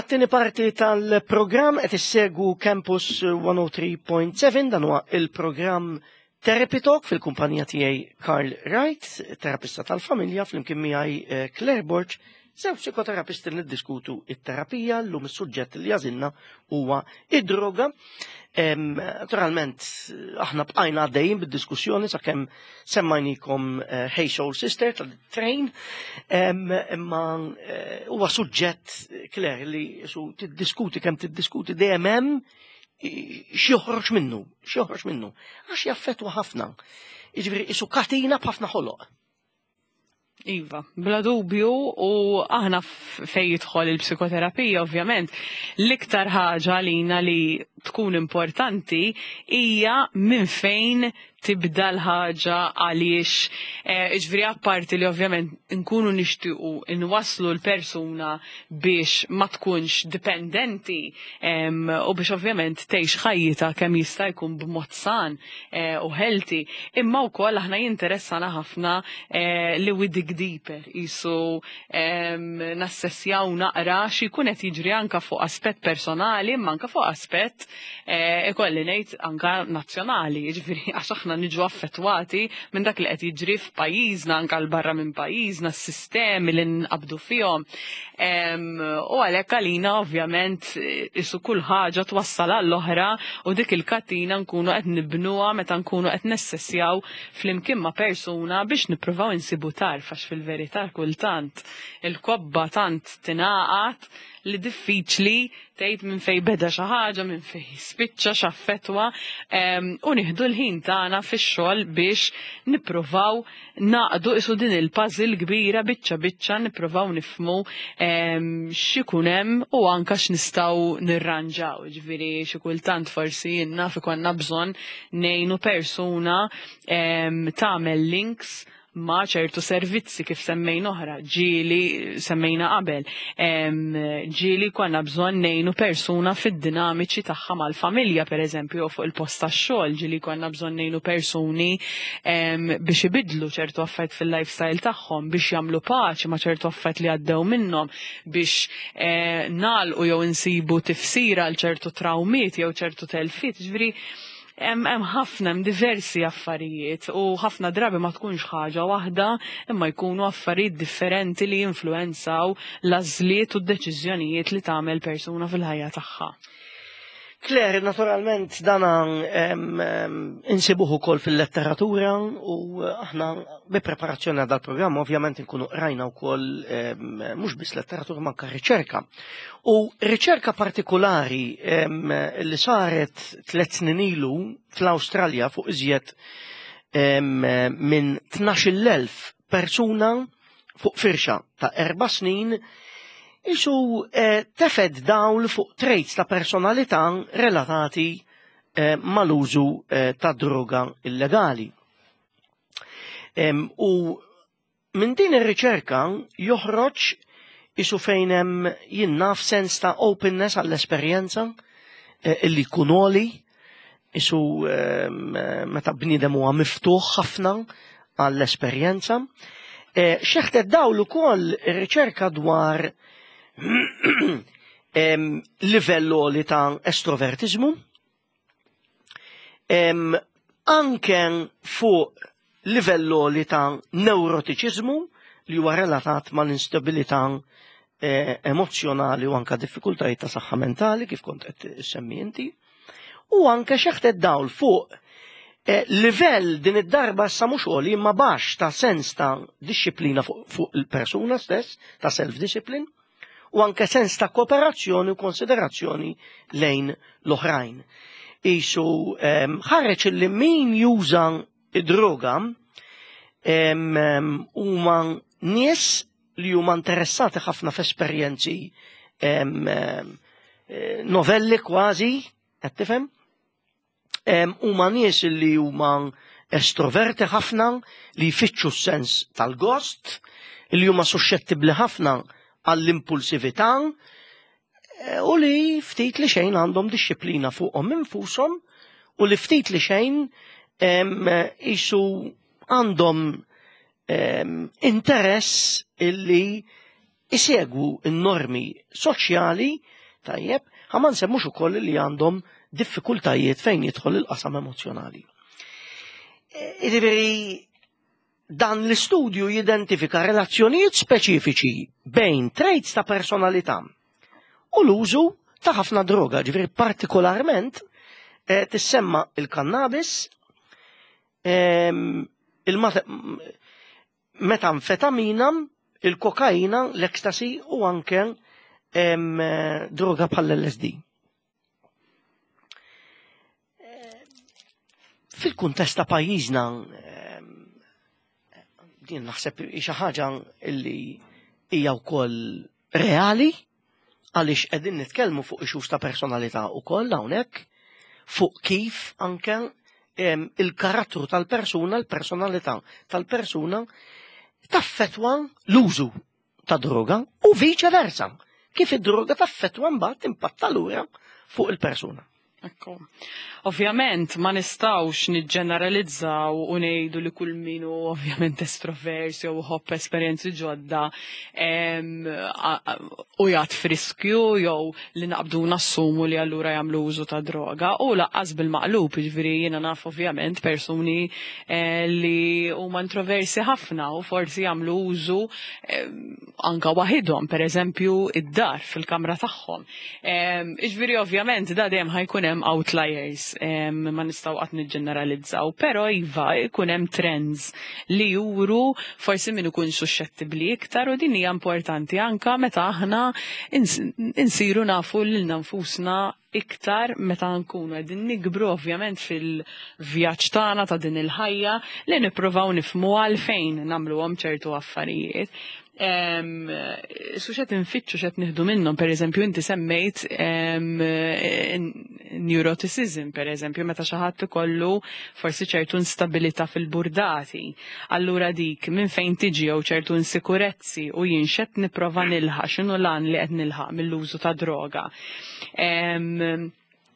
S1: għat-tieni parti tal-programm. Qed issegwu Campus 103.7, dan huwa il-programm Therapy Talk fil-kumpanija tiegħi Karl Wright, terapista tal-familja, flimkien miegħi Claire Borg, żewġ psikoterapisti li niddiskutu it-terapija. Llum is-suġġett li għażilna huwa id-droga. Naturalment, aħna bqajna għaddejjin bid-diskussjoni sakemm semmajnikom Hey Soul Sister tal-Train, imma huwa suġġett, Claire, li su tiddiskuti kemm tiddiskuti dejjem hemm x'joħroġ minnu, x'joħroġ minnu, għax jaffettwa ħafna. Jiġifieri isu katina b'ħafna ħoloq.
S2: Iva, bla dubju, u aħna fej jidħol il-psikoterapija, ovvjament, l-iktar ħaġa lina li tkun importanti hija minn fejn tibda l-ħaġa, għaliex, ġifieri apparti li ovvjament nkunu nixtiequ nwasslu l-persuna biex ma tkunx dipendenti u biex ovvjament tgħix ħajjitha kemm jista' jkun b'mod san u healthy, imma wkoll aħna jinteressana ħafna li we dig deeper, jisu nassessjaw naqra xi jkun qed jiġri anka fuq aspett personali, imma anka fuq aspett ikolli ngħid anka nazzjonali, jiġifieri għax aħna niġu affettwati minn dak li qed jiġri f'pajjiżna, anka l barra minn pajjiżna, s-sistemi li nqabdu fihom. U għalhekk għalina ovvjament isu kull ħaġa twassal għall-oħra u dik il-katina nkunu qed nibnuha meta nkunu qed nessessjaw flimkien ma' persuna biex nippruvaw insibu tarf, għax fil-verità kultant il-kobba tant tingħaqad li diffiċli tgħid minn fejn beda xi ħaġa, minn fejn spiċċa, x'affettwa, u nieħdu l-ħin tagħna fix-xogħol biex nippruvaw naqdu isu din il-puzzle kbira biċċa biċċa, nippruvaw nifhmu x'ikun hemm u anke x'nistgħu nirranġaw. Ġifieri xi kultant forsi jien naf ikollna bżonn ngħinu persuna tagħmel links ma' ċertu servizzi kif semmejna oħra, ġieli semmejna qabel. Ġieli konna bżonn ngħinu persuna fid-dinamiċi tagħha mal-familja, per eżempju, jew fuq il-post tax-xogħol, ġieli konna bżonn ngħinu persuni biex ibidlu ċertu affarijiet fil-lifestyle tagħhom, biex jagħmlu paċi ma' ċertu affarijiet li għaddew minnhom, biex nagħlqu jew insibu tifsira għal ċertu trawmiet jew ċertu telfiet. Ġifieri hemm ħafna, hemm diversi affarijiet u ħafna drabi ma tkunx ħaġa waħda, imma jkunu affarijiet differenti li jinfluenzaw l-għażliet u d-deċiżjonijiet li tagħmel persuna fil-ħajja tagħha.
S1: Claire, naturalment dana insibuh ukoll fil-letteratura u aħna bi preparazzjoni għal dal-programm ovvjament nkunu rajna wkoll mhux biss letteratura ma anke riċerka. U riċerka partikolari li saret 3 snin ilu fl-Awstralja fuq iżjed minn 12,000 persuna fuq firxa ta' 4 snin isu tefed dawl fuq traits ta' personalità relatati mal-użu ta' droga illegali. U minn din ir-riċerka joħroġ isu fejn hemm jien naf sens ta' openness għall-esperjenza illi jkun għoli, isu meta bniedem huwa miftuħ ħafna għall-esperjenza. Xeħtet dawl ukoll ir-riċerka dwar livell għoli ta' estrovertiżmu, anke fuq livell għoli ta' neurotiċiżmu li huwa relatat mal-instabilità emozjonali u anka diffikultajiet ta' saħħa mentali kif kont qed issemmi inti, u anke xeħtet dawl fuq livell din id-darba issa mhux għoli imma baxx ta' sens ta' disċiplina fuq il-persuna stess, ta' self-discipline, u anke sens ta' kooperazzjoni u konsiderazzjoni lejn l-oħrajn. Isu ħareġ li min juża id-droga huma nies li huma interessati ħafna f'esperjenzi novelli kważi, qed tifhem? Huma nies li huma estroverti ħafna, li jfittxu s-sens tal-gost, li huma suscettibbli ħafna għall-impulsività u li ftit li xejn għandhom disċiplina fuqhom infushom u li ftit li xejn isu għandhom interess illi isegwu n-normi soċjali tajjeb, ħa ma nsemmux ukoll li għandhom diffikultajiet fejn jidħol il-qasam emozjonali. Jiġifieri dan l-istudju jidentifika relazzjonijiet speċifiċi bejn traits ta' personalità u l-użu ta' ħafna droga, ġifieri partikolarment tissemma il-kannabis, il-metamfetamina, il-kokaina, l-ecstasy u anke droga bħall-LSD. Fil-kuntest ta' pajjiżna, din naħseb xi ħaġa li hija wkoll reali għaliex qegħdin nitkellmu fuq issues ta' personalità wkoll hawnhekk, fuq kif anke il-karattru tal-persuna, l-personalità tal-persuna taffetwa l-użu ta' droga u viċe versa. Kif id-droga taffetwa mbagħad timpatta lura fuq il-persuna.
S2: Ekku. Ovvjament ma nistgħux niġġeneralizzaw u ngħidu li kull min hu ovvjament estrovers jew iħobb esperjenzi ġodda u jgħat friskju jew li naqbdu nassumu li allura jagħmlu użu ta' droga u laqqas bil-maqlub, jiġifieri jiena naf ovvjament persuni li huma introversi ħafna u forsi jagħmlu użu anka waħidhom, pereżempju id-dar fil-kamra tagħhom. Jiġifieri ovvjament da dejjem ħa jkun hemm outliers, ma nistgħu qatt niġġeneralizzaw, però iva jkun hemm trends li juru forsi min ikun suxxettibbli iktar u din hija importanti anka meta aħna insiru nafu lilna nfusna iktar meta nkunu qegħdin nikbru ovvjament fil-vjaġġ tagħna ta' din il-ħajja li nippruvaw nifhmu għalfejn nagħmluhom ċertu affarijiet. Su xed infittxu xed nieħdu minnhom, pereżempju inti semmejt neuroticism, pereżempju, meta xi ħadd ikollu forsi ċertu instabilità fil-burdati. Allura dik minn fejn tiġi jew ċertu insikurezzi u jien xed nipprova nilħaq, x'inhu l-għan li qed nilħaq mill-użu ta' droga.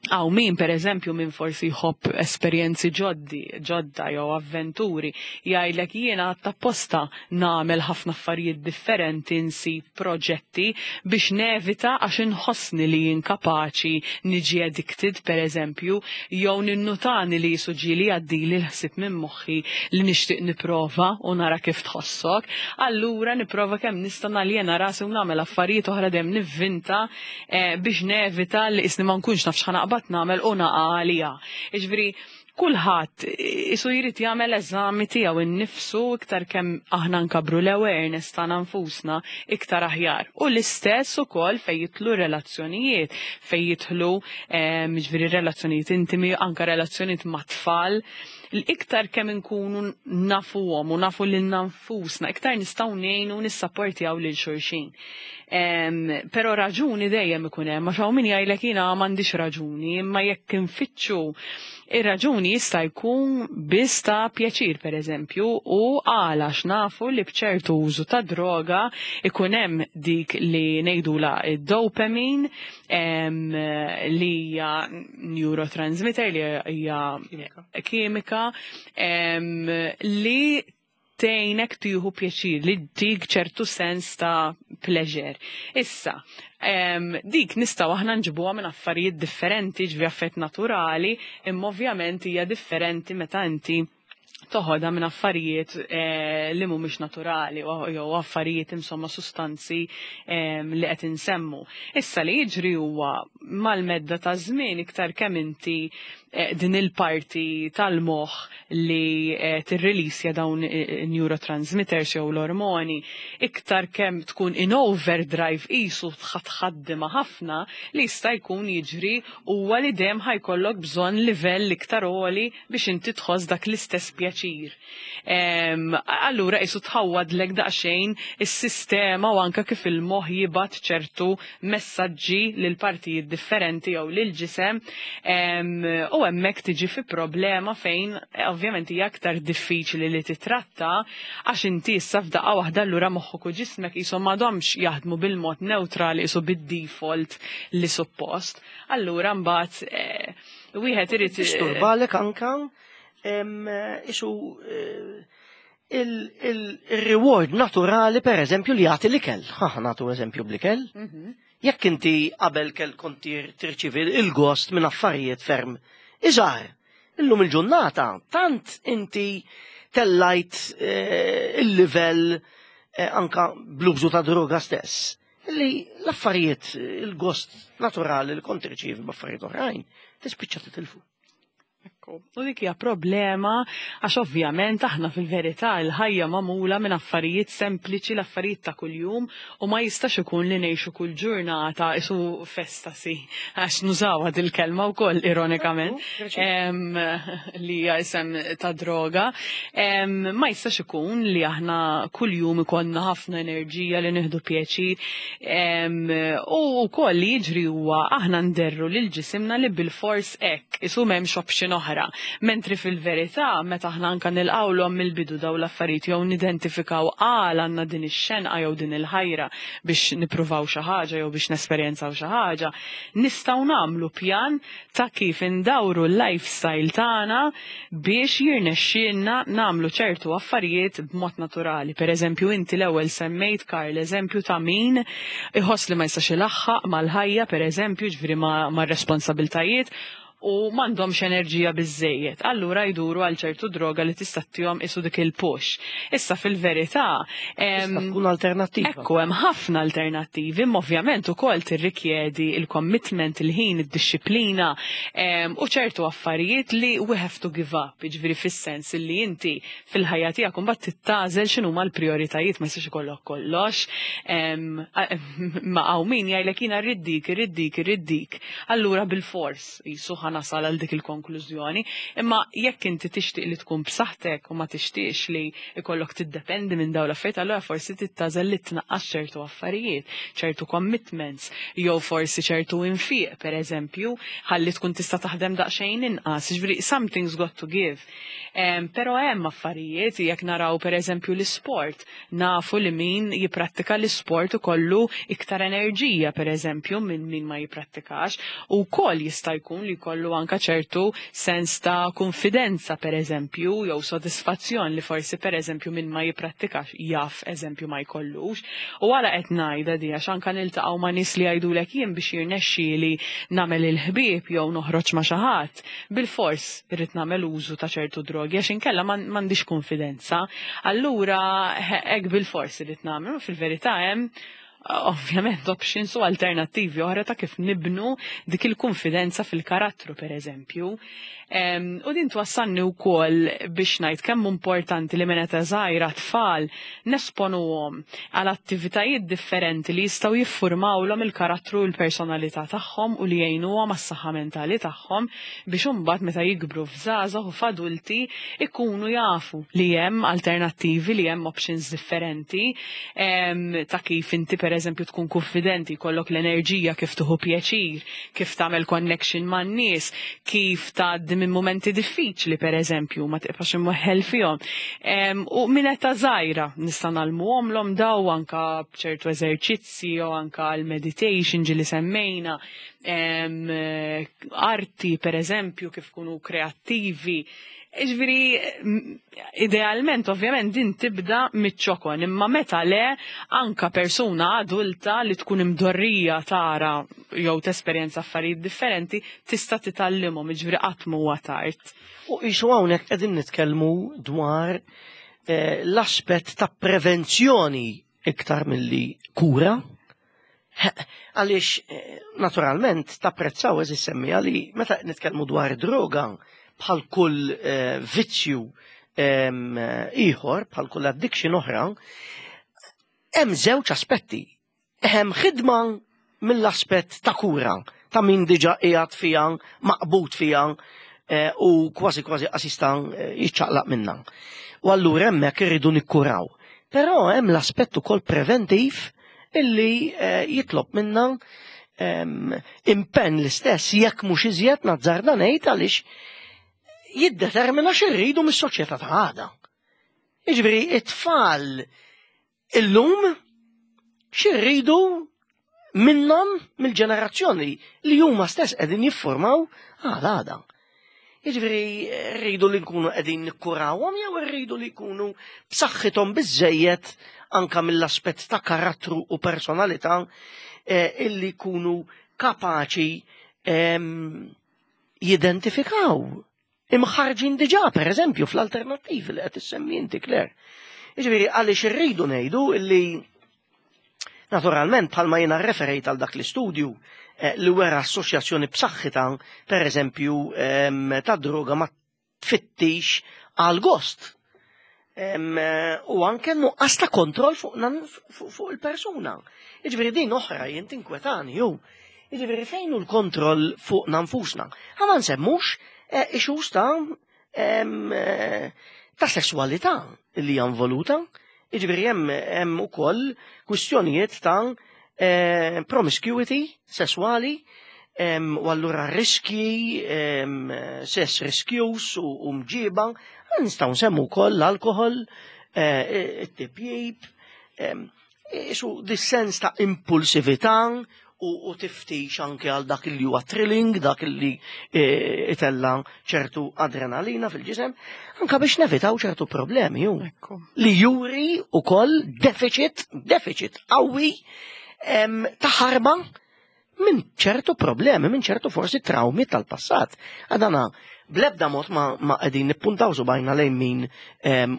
S2: Għaw min, per eżempju, min forsi jħobb esperjenzi ġodda jew avventuri, jgħidlek jiena apposta nagħmel ħafna affarijiet differenti, nsib proġetti biex nevita għax inħossni li jien kapaċi niġi addicted, per eżempju, jew ninnutani li jisuġili għaddili l-ħsieb minn moħħi li nixtieq niprova u nara kif tħossok. Allura niprova kemm nista' naljena rasi u nagħmel affarijiet oħra dejjem nivvinta biex nevita li isni ma nkunx naf x'ħa naqbad nagħmel u naqa' għalija. Jiġifieri kulħadd isu jrid jagħmel eżami tiegħu innifsu iktar kemm aħna nkabru l-awareness tagħna nfusna iktar aħjar. U l-istess ukoll fejn jidħlu relazzjonijiet, fejn jidħlu jiġifieri relazzjonijiet intimi, anke relazzjonijiet ma' tfal. L-iktar kemm inkunu nafuhom u nafu lilna nfusna, iktar nistgħu ngħinu nissapportjaw lil xulxin. Però raġuni dejjem ikun hemm, għax hawn min jgħidlek jiena m'għandix raġuni, imma jekk infittxu ir-raġuni jista' jkun biss ta' pjaċir pereżempju, u għala x'nafu li b'ċertu użu ta' droga ikun hemm dik li ngħidula id-dopamine, li hija neurotransmitter, li hija kimika, li tgħinek tieħu pjaċir, li tik ċertu sens ta' pleasure. Issa, dik nistgħu aħna nġibuha minn affarijiet differenti, ġifieri affett naturali, imma ovvjament hija differenti meta inti toħodha minn affarijiet li mhumiex naturali jew affarijiet insomma sustanzi li qed insemmu. Issa li jiġri huwa mal-medda ta' żmien iktar kemm inti din il-parti tal-moħħ li tirrilisja dawn neurotransmitters jew l-ormoni, iktar kemm tkun in overdrive qisu tħaddimha ħafna, li jista' jkun jiġri huwa li dejjem ħajkollok bżonn livell iktar għoli biex inti tħoss dak l-istess pjaċir. Allura qisu tħawwadlek daqsxejn is-sistema u anke kif il-moħħ jibgħat ċertu messaġġi lil partijiet differenti jew lil ġisem, u hemmhekk tiġi fi problema fejn ovvjament hija aktar diffiċli li titratta għax inti issa f'daqqa waħda allura moħħok u ġismek qishom m'għadhomx jaħdmu bil-mod neutrali qisu bid-default li suppost. Allura mbagħad wieħed irid
S1: disturbalek anka isu Il-reward naturali, per eżempju, li jagħti l-ikel. Ħa nagħtu eżempju bl-ikel. Jekk inti qabel kell kont tirċivi il-gost minn affarijiet ferm iżgħar, illum il-ġurnata tant inti tellajt il-livell anka bl-użu ta' droga stess, li l-affarijiet, il-gost naturali li kont tirċivi b'affarijiet oħrajn, tispiċċa titilfu.
S2: Ekku. U dik hija problema għax ovvjament aħna fil-verità l-ħajja magħmula minn affarijiet sempliċi, l-affarijiet ta' kuljum, u ma jistax ikun li ngħixu kull ġurnata isu festasi, għax nużawha dil-kelma wkoll ironikament, li hija isem ta' droga. Ma jistax ikun li aħna kuljum ikollna ħafna enerġija li nieħdu pjaċir. U wkoll li jiġri huwa aħna nderru lil ġisimna li bil-fors hekk, isu m'hemmx option oħra. Mentri fil-verità, meta aħna anka nilqawlhom mill-bidu daw l-affarijiet jew nidentifikaw għal għandna din ix-xenqa jew din il-ħajra biex nippruvaw xi ħaġa jew biex nesperjenzaw xi ħaġa, nistgħu nagħmlu pjan ta' kif indawru l-lifestyle tagħna biex jirnexxielna nagħmlu ċertu affarijiet b'mod naturali. Per eżempju, inti l-ewwel semmejt, Karl, eżempju ta' min iħoss li ma jistax ilaħħaq mal-ħajja, per eżempju, ġifieri mar-responsabiltajiet, u m'għandhomx enerġija biżejjed. Allura jduru għal ċertu droga li tista' ttihom isu dik il-push. Issa fil-verità,
S1: Tista' tkun alternattiva.
S2: Ekku, hemm ħafna alternattivi, imma ovvjament ukoll tirrikjedi il-commitment, il-ħin, id-disciplina u ċertu affarijiet li we have to give up, jiġifieri fis-sens li inti fil-ħajja tiegħek imbagħad tittagħżel x'inhuma l-prijoritajiet, ma jistax ikollok kollox. Ma hawn min jgħidlek jiena rrid dik, irrid dik, irrid dik. Allura bil-fors jisu ħa nasal għal dik il-konklużjoni. Imma jekk inti tixtieq li tkun b'saħħtek u ma tixtieqx li ikollok tiddependi minn dawn l-affarijiet, allura forsi tittagħżel li tnaqqas ċertu affarijiet, ċertu commitments, jew forsi ċertu infiq, per eżempju, ħalli tkun tista' taħdem daqsxejn inqas. Ġifieri something's got to give. Però hemm affarijiet, jekk naraw per eżempju l-isport, nafu li min jipprattika l-isport ikollu iktar enerġija per eżempju minn min ma jipprattikax, u wkoll jista' jkun li jkollu anka ċertu sens ta' konfidenza per eżempju, jew sodisfazzjon li forsi per eżempju min ma jipprattikax jaf eżempju ma jkollux. U għala qed ngħidha di għax anka niltaqgħu ma' nies li jgħidulek jien biex jirnexxieli nagħmel il-ħbieb jew noħroġ ma' xi ħadd, bil-fors irrid nagħmel użu ta' ċertu drogi għax inkella m'għandix konfidenza. Allura hekk bil-fors irrid nagħmel, u fil-verità hemm ovvjament options u alternattivi oħra ta' kif nibnu dik il-konfidenza fil-karattru per eżempju. U din twassalni wkoll biex ngħid kemm importanti li minn età żgħira tfal nesponuhom għal attivitajiet differenti li jistgħu jiffurmawlhom il-karattru u l-personalità tagħhom u li jgħinuhom għas-saħħa mentali tagħhom biex imbagħad meta jikbru f'żgħażagħ u f'adulti ikunu jafu li hemm alternattivi, li hemm options differenti ta' kif inti per eżempju tkun konfidenti, jkollok l-enerġija, kif tieħu pjaċir, kif tagħmel connection man-nies, kif tgħaddi minn momenti diffiċli per eżempju, ma tibqax imweħħel fihom. U minn età żgħira nista' ngħallmuhomlhom daw anka b'ċertu eżerċizzi jew anka l-meditation ġieli semmejna, arti per eżempju, kif kunu kreattivi. Ġifieri, idealment, ovvjament, din tibda miċ-ċokon, imma meta le, anka persuna adulta li tkun imdorrija tara jew tesperjenza affarijiet differenti, tista' titgħallimhom, ġifieri qatt m'huwa tard.
S1: U qisu hawnhekk qegħdin nitkellmu dwar l-aspett ta' prevenzjoni iktar milli kura. Għaliex naturalment tapprezzaw eżis semmija li meta nitkellmu dwar droga bħal kull vizzju ieħor, bħal kull addiction oħra, hemm żewġ aspetti. Hemm ħidma mill-aspett ta' kura, ta' min diġà qiegħed fiha, maqbud fiha, u kważi kważi assista jiċċaqlaq minna. U allura hemmhekk irridu nikkuraw. Però hemm l-aspett ukoll preventiv illi jitlob minna impenn l-istess jekk mhux iżjed nazzarda ngħid għaliex jiddetermina x'irridu mis-soċjetà ta' għada. Jiġifieri it-tfal illum x'irridu minnhom mill-ġenerazzjoni li huma stess qegħdin jiffurmaw għal għada. Jiġifieri rridu li nkunu qegħdin nikkurawhom jew irridu li jkunu b'saħħithom biżejjed anka mill-aspett ta' karattru u personalità eh, illi jkunu kapaċi ehm, jidentifikaw imħarġin diġà pereżempju fl-alternattivi li qed issemmi inti Claire. Jiġifieri għaliex irridu ngħidu illi Naturalment, bħalma jiena rreferejt għal dak l-istudju eh, li wera assoċjazzjoni b'saħħitha, per eżempju, ehm, ta' droga ma tfittix għal gost. Ehm, u anke nuqqas ta' kontroll fuq, fuq il-persuna. Jiġifieri din oħra jien tinkwetani ju. Jiġifieri fejn hu l-kontroll fuq nfusna. Ħa ma nsemmux eh, issues ta' eh, ta' sessualità li hija involuta. Jiġifieri hemm hemm ukoll kwistjonijiet ta' eh, promiscuity sesswali u allura riskji, sess riskjus u mġiba, nistgħu nsemmu wkoll l-alkohol, eh, it-tipjib, Isu dis-sens ta' impulsività u tiftix anke għal dak li huwa thrilling, dak li e, itella ċertu adrenalina fil-ġisem, anka biex nevitaw ċertu problemi ju. Li juri ukoll deficit, deficit qawwi ta' ħarba minn ċertu problemi, minn ċertu forsi traumi tal-passat. Għadana, blebda mod ma, ma qegħdin nippuntaw subajna lejn min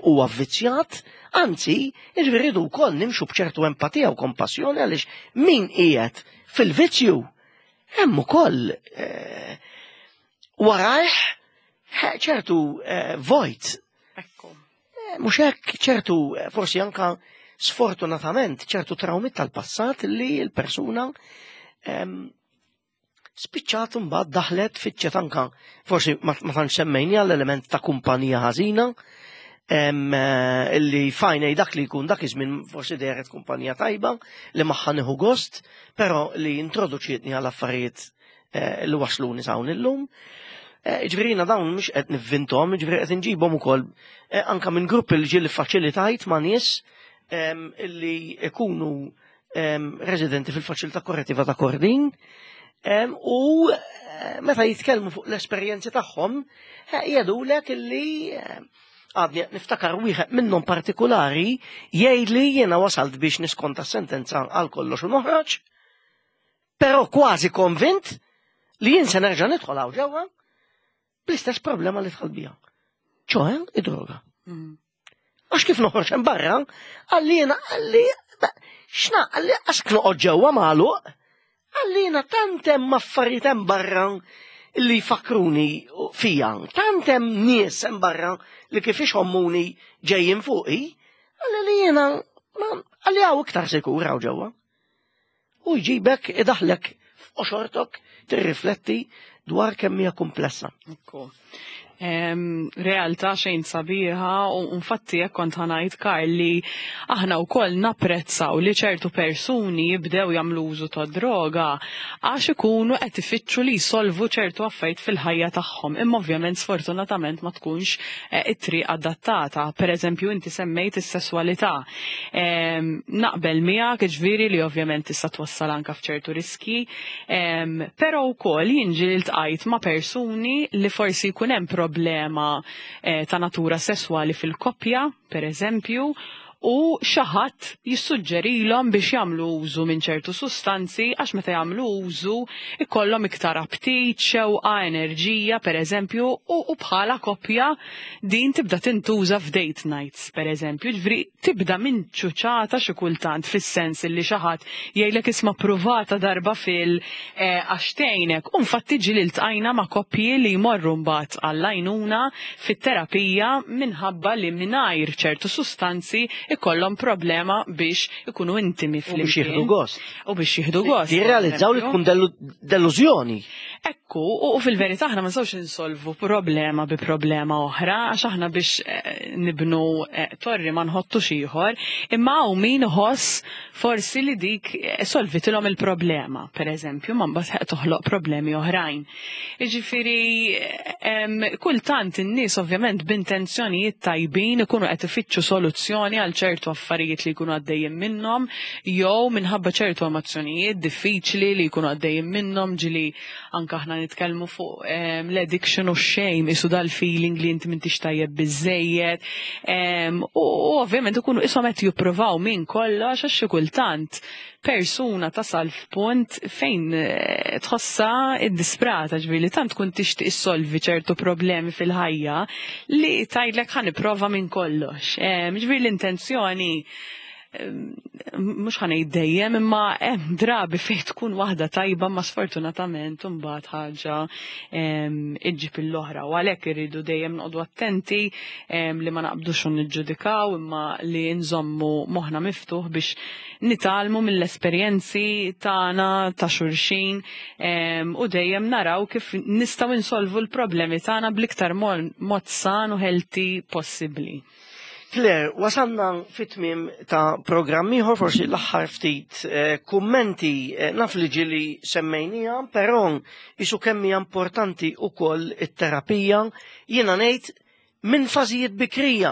S1: huwa avvizzjat, anzi, jiġifieri rridu wkoll nimxu b'ċertu empatija u kompassjoni għaliex min qiegħed fil-vizzju hemm ukoll eh, warajh eh, ċertu eh, vojt.
S2: Ekku.
S1: Mhux hekk ċertu forsi anka sfortunatament ċertu traumi tal-passat li l-persuna spiċċat mbagħad daħlet fiċċet anka forsi ma tantx semmejni għall-element ta' kumpanija ħażina eh, illi fajnej dak li jkun dak iż-żmien forsi dehret kumpanija tajba li magħha nieħu gost, però li introduċietni għal affarijiet eh, li wasluni s'hawn illum. Eh, ġifieri jiena dawn mhux qed nivvinthom, ġifieri qed inġibhom ukoll anka minn gruppi li ġieli faċilitajt ma' nies illi ikunu residenti fil-faċilità korrettiva ta' Kordin u eh, meta jitkellmu fuq l-esperjenzi tagħhom eh, jgħidulek illi eh, għadni niftakar wieħed minnhom partikolari jgħidli jiena wasalt biex niskonta sentenza għal kollox u noħroġ, però kważi konvint li jien se nerġa' nidħol hawn ġewwa bl-istess problema li dħal biha. ċoħe id-droga. Mm. Għax kif noħroġ hemm barra, għalli jiena għalli x'na għalli għax noqgħod ġewwa magħluq, għalli jiena tant hemm affarijiet hemm barra li jfakkruni fija, tant hemm nies hemm barra li kif ixommuni ġejjin fuqi, għalli li jiena għalli hawn iktar sikur hawn ġewwa. U jġibek idaħlek f'qoxortok tirrifletti dwar kemm hija komplessa.
S2: Ekku. Realtà xejn sabiħa u infatti jekk kont ħanajt Karl li aħna wkoll napprezzaw li ċertu persuni jibdew jagħmlu użu ta' droga għax ikunu qed ifittxu li jsolvu ċertu affarijiet fil-ħajja tagħhom. Imma ovvjament sfortunatament ma tkunx eh, it-triq adattata. Per eżempju inti semmejt is-sesswalità. Naqbel miegħek ġifieri li ovvjament tista' twassal anke f'ċertu riski, però wkoll jien ġieli ltqajt ma' persuni li forsi jkun hemm problema eh, ta' natura sesswali fil-koppja, per eżempju, u xi ħadd jissuġġerilhom biex jagħmlu użu minn ċertu sustanzi għax meta jagħmlu użu ikollhom iktar aptit, xewqa, enerġija, per eżempju, u bħala koppja din tibda tintuża f'date nights, per eżempju, ġifieri tibda minn ċuċata xi kultant fis-sens li xi ħadd jgħidlek isma' pruvata darba fil eh, għax tgħinek. U infatti ġieli ltqajna ma' koppji li jmorru mbagħad għall-għajnuna fit-terapija minħabba li mingħajr ċertu sustanzi ikollhom problema biex ikunu intimi
S1: flimkien. U biex jieħdu gost.
S2: U biex jieħdu gost.
S1: Jirrealizzaw li tkun delużjoni.
S2: Ekku, u fil-verità aħna ma nistgħux insolvu problema bi problema oħra, għax aħna biex eh, nibnu eh, torri ma nħottux ieħor, imma hawn min iħoss forsi li dik eh, solvitilhom il-problema, per eżempju, ma mbagħad toħloq problemi oħrajn. Jiġifieri kultant in-nies ovvjament b'intenzjonijiet tajbin ikunu qed ifittxu soluzzjoni għal ċertu affarijiet li jkunu għaddejjin minnhom jew minħabba ċertu emozzjonijiet diffiċli li jkunu għaddejjin minnhom ġili anka anke aħna nitkellmu fuq l-addiction u shame, isu dal-feeling li inti m'intix tajjeb biżejjed. U ovvjament ikunu ishom qed jippruvaw minn kollox għax xi kultant persuna tasal f'punt fejn tħossha iddisprata, ġifieri tant tkun tixtieq issolvi ċertu problemi fil-ħajja li tgħidlek ħa nipprova minn kollox. Ġifieri l-intenzjoni mhux ħa ngħid dejjem imma hemm drabi fejn tkun waħda tajba ma sfortunatament imbagħad ħaġa iġġib l-oħra u għalhekk irridu dejjem noqogħdu attenti li ma naqbdux u niġġudikaw imma li nżommu moħħna miftuħ biex nitgħallmu mill-esperjenzi tagħna ta' xulxin u dejjem naraw kif nistgħu insolvu l-problemi tagħna bl-iktar mod san u healthy possibbli.
S1: Claire, wasalna fit-tmiem ta' programm ieħor, forsi l-aħħar ftit kummenti naf li ġieli semmejnija, però isu kemm hija importanti wkoll it-terapija, jiena ngħid minn fażijiet bikrija.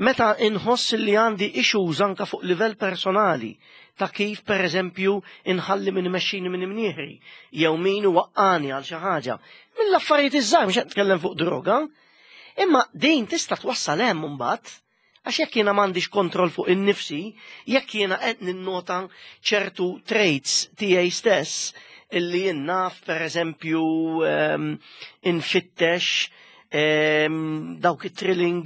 S1: Meta inħoss li għandi issues anka fuq livell personali, ta' kif per eżempju inħalli min imexxini minn imnieħri, jew min waqqani għal xi ħaġa. Mill-affarijiet iż-żgħar mhux qed nitkellem fuq droga, imma din tista' twassal hemm imbagħad, għax jekk jiena m'għandix kontroll fuq innifsi, jekk jiena qed ninnota ċertu traits tiegħi stess illi jien naf per eżempju infittex dawk it-thrilling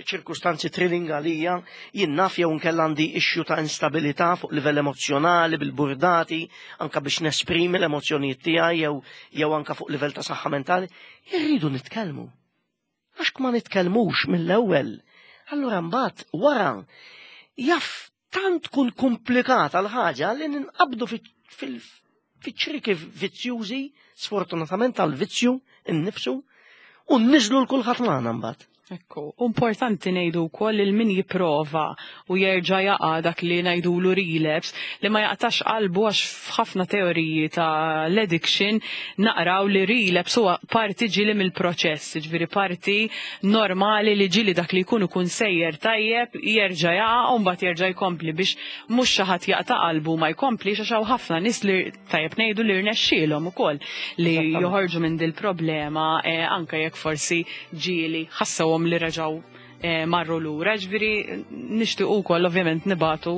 S1: ċirkustanzi thrilling għalija, jien naf jew nkella għandi issue ta' instabilità fuq livell emozjonali bil-burdati, anka biex nesprimi l-emozjonijiet tiegħi jew anka fuq livell ta' saħħa mentali, irridu nitkellmu. Għax ma nitkellmux mill-ewwel. Allura mbagħad wara jaf tant tkun komplikata l-ħaġa li ninqabdu fiċ-ċriki vizzjużi, sfortunatament tal-vizzju innifsu, u nniżlu l kulħadd magħna mbagħad.
S2: Ekku, importanti ngħidu wkoll il min jipprova u jerġa' jaqa' dak li ngħidulu relapse, li ma jaqtax qalbu għax f'ħafna teoriji ta' l-addiction naqraw li relapse huwa parti ġieli mill-proċess, ġifieri parti normali li ġieli dak li jkun ikun sejjer tajjeb jerġa' jaqa' u mbagħad jerġa' jkompli biex mhux xi ħadd jaqta' qalbu ma jkomplix għax hawn ħafna nies li tajjeb ngħidu li rnexxielhom ukoll li joħorġu minn dil problema anke jekk forsi ġieli ħassewhom li reġgħu marru lura. Ġifieri nixtiequ wkoll ovvjament nibatu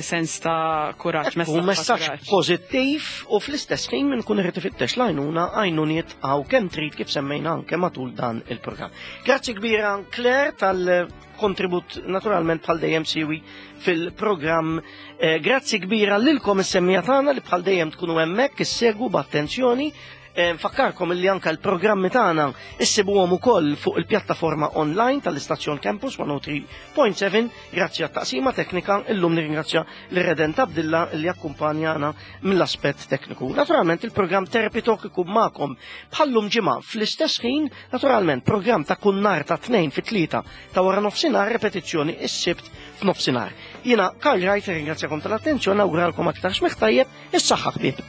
S2: sens ta' kuraġġ,
S1: U
S2: messaġġ ta'
S1: messaġġ
S2: kuraġġ.
S1: pożittiv u fl-istess ħin minn kun irid ifittex l-għajnuna, għajnuniet għaw kemm trid kif semmejna anke matul dan il-programm. Grazzi kbira Claire tal-kontribut naturalment bħal dejjem siwi fil-programm. Grazzi kbira lilkom is-semmija tagħna li bħal dejjem tkunu hemmhekk issegwu b'attenzjoni. Nfakkarkom illi anka l-programmi tagħna issibuhom ukoll fuq il-pjattaforma online tal-istazzjon Campus 103.7 grazzi għat-taqsima teknika. Illum nirringrazzja l-Redent Abdilla li akkumpanjana mill-aspett tekniku. Naturalment il-programm Therapy Talk ikun magħkom bħallum ġimgħa fl-istess ħin, naturalment programm ta' kull nhar ta' 2 fit-3 ta' wara nofsinhar, repetizzjoni is-Sibt f'nofsinhar. Jiena Karl Wright nirringrazzjakom tal-attenzjoni, nawguralkom aktar smigħ tajjeb, is-saħħa ħbieb.